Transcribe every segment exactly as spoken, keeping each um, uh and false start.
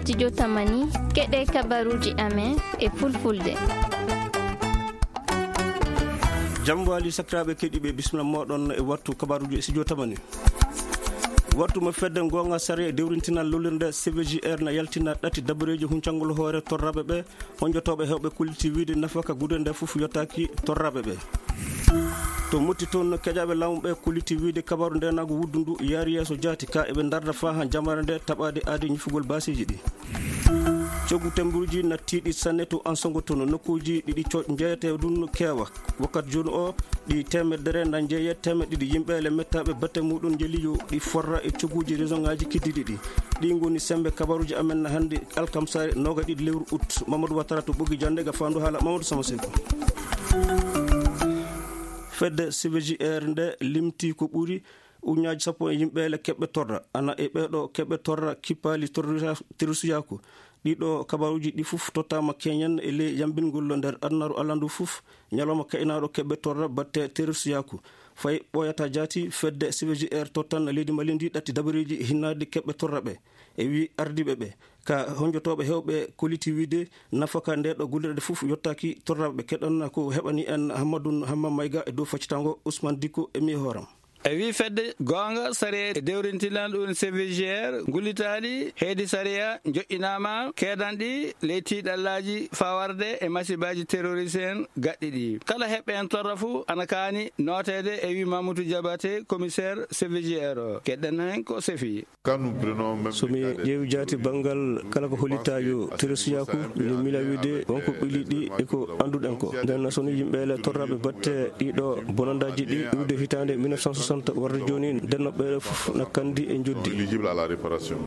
Studio Tamani, keɗe kabaruji amen e fulfulde. Jam wali sakiraaɓe keɗiiɓe, bismillah moɗon e wattu kabaruji e Studio Tamani. Wattu mo fedde goonga sariya e dewrintinal lolirde C V G R na yaltina ɗati dabareeji huncangol hoore torraɓe ɓe, honjotooɓe heewɓe kolliti wiide nafaka gude nde fof yottaaki torraɓe ɓe. To Motti toon, keƴaaɓe laamu ɓe kolliti wiide kabaru ndenaagu wuddu ndu yaari yeeso jaati ka eɓe ndarda faa haa jamare nde taɓaade aadi ñifugol baasiiji ɗi. Coggu tembuuji na tiiɗi sanne to Ansongo toon, nokkuuji ɗiɗi co-, njeeyetee ɗum keewa. Wakkati jooni o, ɗi teemedere na njeeyee teemeɗɗe ɗiɗi yimɓe le mettaaɓe batte muɗum njeli yo ɗi forra e cogguuji région ŋaaji keddiiɗi ɗi. Ɗi ngoni semmbe kabaruuji amen hannde alkamsaare noogaɗiɗi lewru août. Mamadou Ouattara to Ɓoggi Jannde ga faandu haala Mamadou Sama Seeku. Fedde C V G R nde limti ko ɓuri ujunnaaji sappo e yimɓe le keɓɓe torra. Ana e ɓeeɗo keɓɓe torra kippaali terrorisa-, terrorisiyaaku. Ɗiɗo kabaruuji ɗi fof tottaama keñen e ley yambingol nder adunaaru Alla ndu fof, ñalawma kaynaaɗo keɓɓe torra batte terrorisiyaaku. Fay ɓooyata jaati, fedde C V G R tottan leydi Mali ndi ɗatti dabareeji hinnaade keɓɓe torraɓe. E wi ardiiɓe ɓe, ka honjotooɓe heewɓe kolliti wiide nafaka nde ɗo gollirde fof yottaaki torraɓe. Keɗon ko heɓani en Hammadou Hamma Mayga e dow faccitango Ousmane Dicko e mi hooram. E wi fedde goonga sariya e dewrintinal ɗum C V G R, ngullitaali heedi sariya joƴƴinaama keedanɗi ley tiiɗallaaji fawarde e masibaaji terroriste en gaɗɗi ɗi. Kala heɓɓe en torra fuu ana kaani nooteede, e wi Mamoudou Diabaté, commissaire C V G R o. Keɗɗen heen ko sefi. So mi ƴeewi jaati banngal kala ko hollitaa yo terroristiyaaku, mi miila wiide wonko ɓili ɗi e ko annduɗen ko. Nden so ni yimɓe le torraɓe batte ɗiɗo bonandaaji ɗi iwde hitaande mille neuf cent soixante warde jooni, nden no ɓeeɗo fof na kandi e njoddi.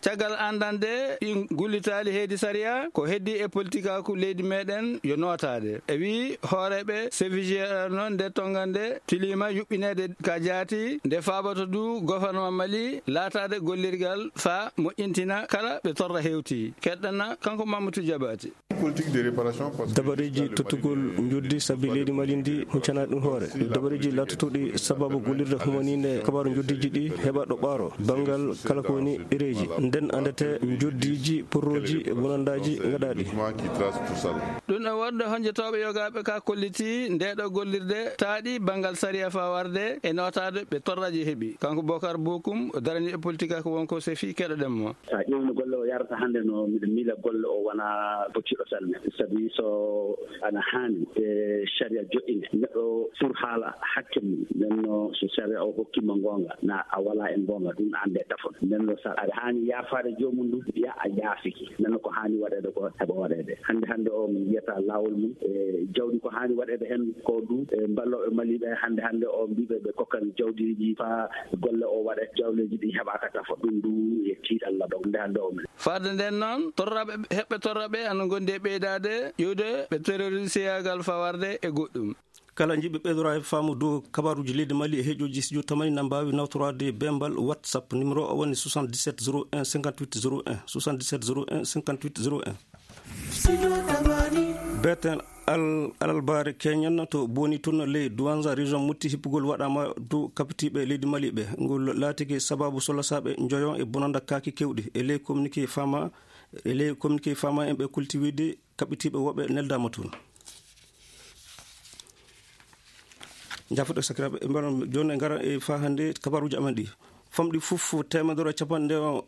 Caggal anndande ɗi ngullitaali heedi sariya, ko heddi e politikaaku leydi meɗen yo nootaade. E wi hooreeɓe C V G R noon, nde tongande tiliima yuɓɓineede ka jaati, nde faaboto du gouvernement Mali laataade gollirgal faa moƴƴintina kala ɓe torra hewti. Keɗɗana kanko Mamadou Diabaté. Politique de réparation, parce que dabareeji tottugol njoddi sabi leydi Mali ndi huccana ɗum hoore. Dabareeji laatotoɗi sababu gollirde humaniinde kabaaru njoddiiji ɗi heɓa ɗo ɓaaro banngal kala ko woni ɗereeji. Nden anndete njoddiiji, porroji e bonandaaji ngaɗaaɗi. Document qui trace tout ça. Ɗum e wonde honjotooɓe yogaaɓe ka kolliti ndeeɗo gollirde taaɗi banngal sariya faa warde e nootaade ɓe torraji heɓi. Kanko Bokar Bokum, o darani e politique ko wonko sefi, keɗoɗen mo. So a ƴeewno golle o yarata hannde, no miɗo miila golle o wona bocciɗo sanne. Sabi so ana haani e sariya joɗɗinde, neɗɗo sur haala hakke mum. Nden no so sariya o hokkima goonga, na a wala e goonga, ɗum annde tafon. Nden no sa aɗa haani yaafaade joomum ɗum, wiya a yaafiki. Nden no ko haani waɗeede ko heɓa waɗeede. Hannde hannde o min yiyata laawol mum, e jawdi ko haani waɗeede heen ko du, e mballooɓe Mali ɓe hannde hannde o mbiɓe ɓe kokkan jawdiiji faa golle o waɗe, jawleeji ɗi heɓaaka tafon. Ɗum du e tiiɗalla ɗo hannde hannde o min. Fadde nden noon, torraɓe, heɓɓe torraɓe ana ngondi e ɓeydaade ƴuwde ɓe terrorisiyaagal fawarde e goɗɗum. Kala jiɗɓe ɓeydoraade faamu dow kabaruuji leydi Mali e heɗiyoji studio tamani na mbaawi nawtoraade bembal WhatsApp. Numéro o woni soixante-dix-sept zéro un cinquante-huit zéro un, soixante-dix-sept zéro un cinquante-huit zéro un. Beten al-, alalbaare keñen to Boni tun ley Douanza région Motti hippugol waɗaama dow kapitiiɓe leydi Mali ɓe. Ngol laatike sababu solasaaɓe njoyon e bonanda kaaki kewɗi. E ley communiqué fama, e ley communiqué fama en ɓe kulti wiide kaɓɓitiiɓe woɓɓe neldaama toon. Jaafoɗe sakiraaɓe, e mbaɗa jooni e ngara e faa hannde kabaruuji amen ɗi. Famɗi fof teemedere e capanɗe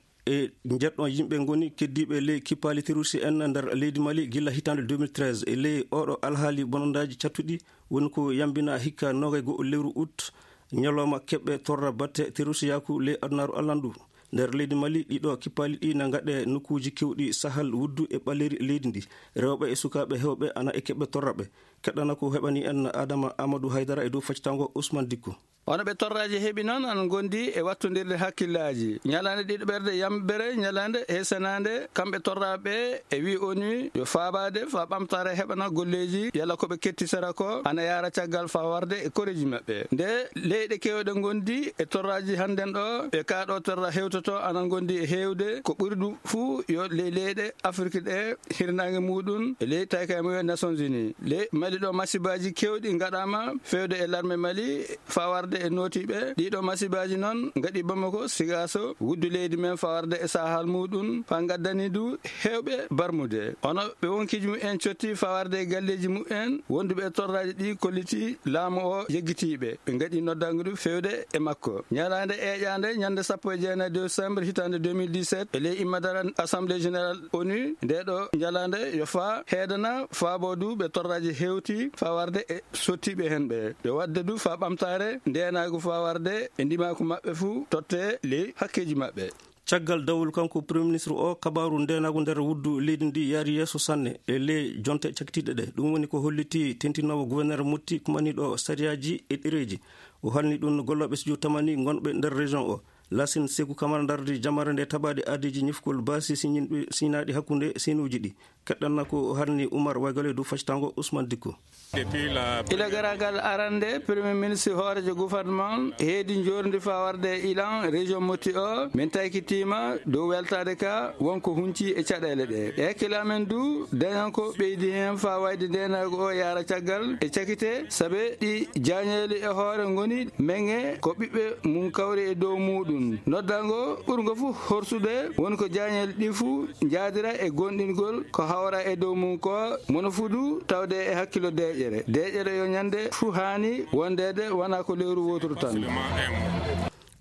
njeeɗiɗo yimɓe ngoni keddiiɓe ley kippaali terroriste en nder leydi Mali gila hitaande deux mille treize. E ley oɗo alhaali bonandaaji cattuɗi woni ko yambina hikka noogay go'o lewru août, ñalawma keɓɓe torra batte terroristiyaaku ley adunaaru allandu. Nder leydi Mali, ɗiɗo kippaali ɗi na ngaɗe nokkuuji kewɗi Sahel, Wuddu e Ɓaleeri leydi ndi. Rewɓe e sukaaɓe heewɓe ana e keɓɓe torraɓe. Keɗɗana ko heɓani en Adama Amadou Haydara e dow faccitango Ousmane Dikko. Wano ɓe torraji heɓi noon, ana ngondi e wattondirde hakkillaaji. Ñalaande ɗiɗaɓerde yambere, ñalaande heesanaande, kamɓe torraɓe e wi ONU yo faabaade faa ɓamtaare heɓana golleeji, yalla ko ɓe kettisara ko ana yaara caggal faa warde e koreeji maɓɓe. Nde leyɗe keewɗe ngondi e torraji hannden ɗo, ɓe kaa ɗo torra hewtoto ana ngondi e heewde, ko ɓuri ɗum fuu yo ley leyɗe Afrik ɗe hirnaange muuɗum e ley taykay mumen Nations Unies. Ley Mali Ɗiɗo masibaaji keewɗi ngaɗaama feewde e larme Mali, fawarde e nootiiɓe. Ɗiɗo masibaaji noon ngaɗi Bamako, Sigaso, wuddu leydi men fawarde e sahal muɗum, faa ngaddani du heewɓe barmude. Ono ɓe wonkiiji mumen cotti fawarde e galleeji mumen, wonduɓe e torraaji ɗi kolliti laamu o yeggitiiɓe. Ɓe ngaɗi noddangu du feewde e makko. Ñalaande eeƴaande, ñande sappo e jeenayi décembre hitaande deux mille dix-sept, e ley immadara Assemblée Générale onu, nde ɗo ñalaande yo faa heedana faabo du ɓe torraaji hewti fawarde e sottiiɓe hen ɓe. Ɓe wadde du faa ɓamtaare ndeenaagu fawarde e ndimaaku maɓɓe fuu totte ley hakkeeji maɓɓe. Caggal dawol kanko Premier Ministre o, kabaaru ndeenaagu nder wuddu leydi ndi yaari yeeso sanne e ley jonte cakkitiiɗe ɗe. Ɗum woni ko holliti tentinoowo gouverneur Motti kumaniiɗo sariyaaji e ɗereeji. O halni ɗum gollooɓe studio tamani ngonɓe nder région o. Lasin Seku Kamara ndardi jamaare nde tabaade aadiiji ñifkol baasi siñinɗi, siñinaaɗi hakkunde senuuji ɗi. Keɗɗanna ko halni Umar Waygale dow faccatango Ousmane Dikko. Ila garagal arande, Premier Ministre hoorejo gouvernement heedi njorndi fawarde e ilan région Motti o, min taykitiima dow weltaade ka wonko hunci e caɗeele ɗe. E hakkille amen du, dañan ko ɓeydi heen faa wayde ndeenaagu o yaara caggal e cakite, sabe ɗi jaañeeli e hoore ngoni meŋe ko ɓiɓɓe mum kawri e dow muuɗum. Noddango ɓurngo fu horsude woni ko jaañeeli ɗi fu njaadira e gonɗingol ko hawra e dow mum ko mono fudu tawde e hakkilo deeƴere. Deeƴere yo ñande fu haani wondeede wona ko lewru wooturu tan.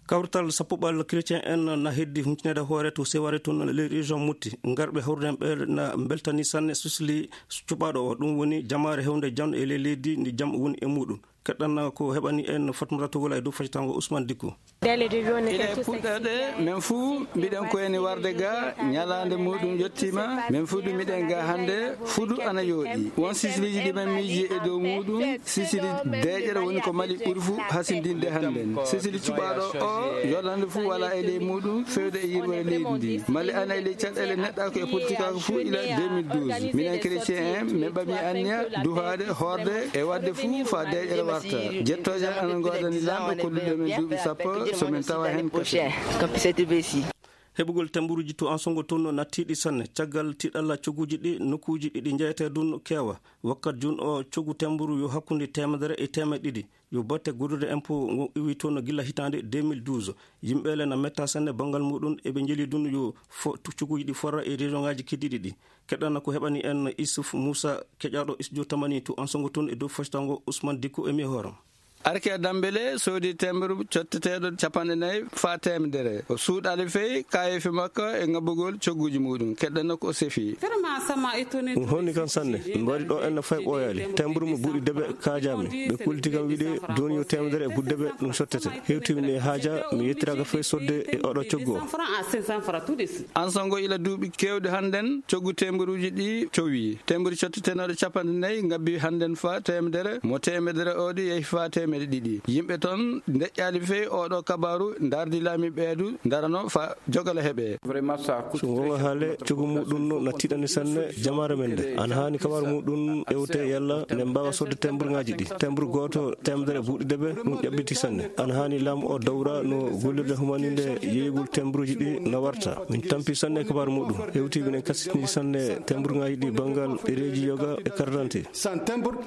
Kawrital sappoɓal chrétien en na heddi huncneede hoore to Seware tun ley région Motti. Ngarɓe hawrden ɓe na mbeltani sanne susli cuɓaaɗo o. Ɗum woni jamaare hewnde jam e ley leydi ndi jam woni e muɗum. Keɗɗan ko heɓani en Fatmata Togola e dow faccatango Ousmane Dikko. Ila e puɗɗoɗe, men fuu mbiɗen ko eni warde ga, ñalaande muɗum yettiima, men fuu du miɗen ga hannde, fudu ana yooɗi. Won sisiliiji ɗi men miiji e dow muɗum, sisili deeƴere woni ko Mali ɓuri fuu hasindinde hannden. Sisili cuɓaaɗo o, yolande fuu wala e ley muɗum, fewde e yirwere leydi ndi. Mali ana e ley caɗeele neɗɗaako e politikaaku fuu ila deux mille douze. Minen chrétien en, min ɓami anniya duhaade, hoorde e waɗde fuu faa deeƴere warta. Jettooje ana ngoodani Laamɗo kolluɗo men duuɓi sappo, so min tawa heen kadi. Heɓugol temburuuji to Ansongo toon no nattiiɗi sanne. Caggal tiiɗalla cogguuji ɗi, nokkuuji ɗi ɗi njeyetee ɗun keewa. Wakkat jun o coggu temburu yo hakkunde teemedere e teemeɗɗe ɗiɗi. Yo batte guddude impôt ngo iwi toon gila hitaande deux mille douze. Yimɓe le na metta sanne banngal muɗum, eɓe njeli ɗum yo fo-, tu-, cogguuji ɗi forra e région ŋaaji keddiiɗi ɗi. Keɗɗana ko heɓani en Issouf Moussa, keƴaaɗo studio tamani to Ansongo toon e dow foccango Ousmane Dikko e mi hooram. Arke Dambele soodi temburu cotteteeɗo capanɗe nayi faa teemedere. O suuɗaali fey kaayeefi makko e ŋabbugol cogguuji muɗum. Keɗɗana ko o sefi. Vraiment, ça m'a étonné. Ɗum honni kan sanne. Mbaɗi ɗo en no fay ɓooyaali. Temburu mo buuɗi debe kaajaami. Ɓe kulti kam wiide jooni yo teemedere e buuɗi debe ɗum sottete. Hewti mi e haaja, mi yettiraaka fay sodde e oɗo coggu o. Ansongo ila duuɓi keewɗi hannden, coggu temburuuji ɗi cowi. Temburu cottetenooɗo capanɗe nayi ngabbi hannden faa teemedere, mo teemedere o ɗi yehi faa teemedde ɗiɗi. Yimɓe ton ndeƴƴaali fey oɗo kabaaru, ndardi laamiiɓe ɓeedu, ndarano faa jogala heɓe. So wonga haale, coggu muɗum no na tiiɗani sanne jamaare men nde. Ana haani kabaaru muɗum ewte yalla nde mbaawa sodde temburŋaaji ɗi. Temburu gooto teemedere buuɗi debe, ɗum ƴaɓɓiti sanne. Ana haani laamu o dawra no gollirde humaninde yeeyugol temburuuji ɗi na warta. Min tampi sanne kabaaru muɗum. Hewti minen kasitini sanne temburŋaaji ɗi banngal ɗereeji yoga e carte d'identité.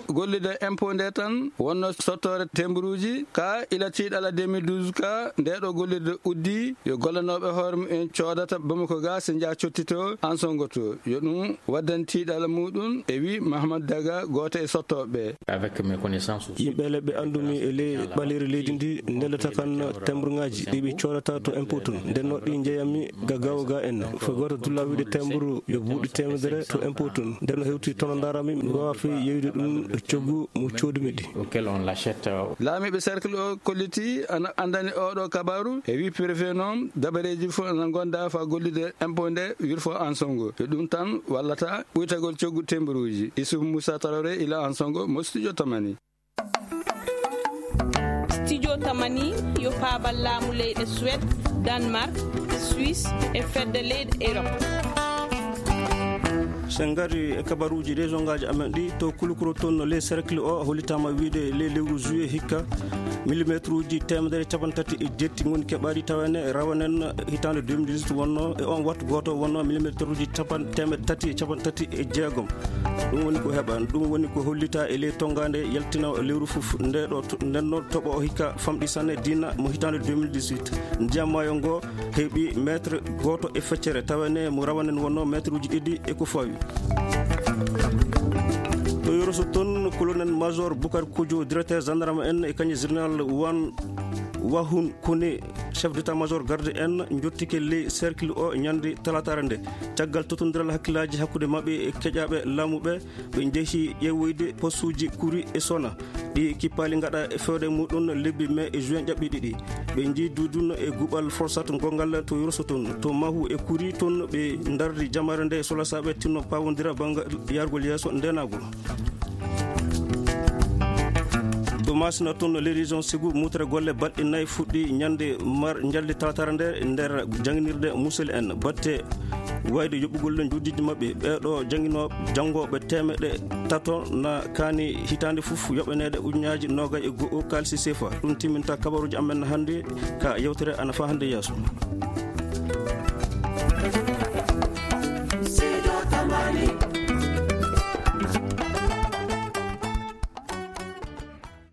Gollirde impôt nde tan wonno sottoore temburuuji ka ila tiiɗalla deux mille douze ka nde ɗo gollirde uddi yo gollanooɓe hoore mumen coodata Bamako ga so njaha cottito Ansongo to. Yo ɗum waddan tiiɗalla muɗum, e wi Mahamadou Daga, gooto e sottooɓe ɓe. Avec mes connaissances aussi. Yimɓe le ɓe anndumi e ley ɓaleeri leydi ndi, ndellata kan temburŋaaji ɗi ɓe coodata to impôt tun. Nden no ɗi njeyami ga gawo ga en. Fo gooto dulla wiide temburu yo buuɗi teemedere to impôt tun. Nden no hewti tono ndarami, mi waawa fey yeeyude ɗum e coggu mo coodumi ɗi. Auquel on l'achète, euh, Laamiiɓe cercle o kolliti ana anndani oɗo kabaaru e wi préfet noon dabareeji fof ana ngonda faa gollirde impôt nde wirfo Ansongo. Yo ɗum tan wallata ɓuytagol coggu temburuuji. Issouf Moussa Traoré ila Ansongo mo studio tamani. Studio tamani yo paabal laamu leyɗe Suède, Danemark, Suisse e fedde leyɗe Europe. So en ngari e kabaruuji région ngaaji amen ɗi, to Kulukuro toon no ley cercle o hollitaama wiide ley lewru juillet hikka, Millimetruuji teemedere capanɗe tati e jetti ngoni keɓaaɗi tawa ene rawanen hitaande deux mille dix-huit wonno e on wattu gooto wonno millimetruuji capan teemedde tati e capanɗe tati e jeegom. Ɗum woni ko heɓa ɗum woni ko hollita e ley tonngaande yaltina lewru fof nde ɗo ndenno toɓo hikka famɗi sanne diina mo hitaande deux mille dix-huit. Ndiyam maayo ngo heɓi meetre gooto e feccere tawa ene mo rawanen wonno meetruuji ɗiɗi e ko fawi. To yoroso toon, colonel major Boucar Kodio, directeur gendarme en e kañum général wan wahun kone, chef d'état major garde en, jottike ley cercle o ñande talataare nde. Caggal totondiral hakkillaaji hakkunde maɓɓe e keƴaaɓe laamu ɓe, ɓe njehi ƴeewoyde postuuji kuri e sona ɗi kippaali ngaɗa e fewde muɗum lebbi mai e juin ƴaɓɓi ɗiɗi. Ɓe njiidu ɗum e guɓal forsat gongal to yurso toon to mahu e kuri toon ɓe ndardi jamare nde solasaaɓe tinno pawondira banngal yargol yeeso ndenagol. To masina toon, les régions sigu mutre golle baɗɗi nayi fuɗɗi ñande mar jaldi talatara nde nder janginirde musel en batte wayde yoɓugol njuddiji maɓɓe ɓeeɗo jangino janngooɓe teemeɗe tato na kaani hitaande fof yoɓaneede ujunnaaji noogay e go'o kaalisi sefa. Ɗum timminta kabaruuji amen hannde ka yewtere ana fa hannde yeeso.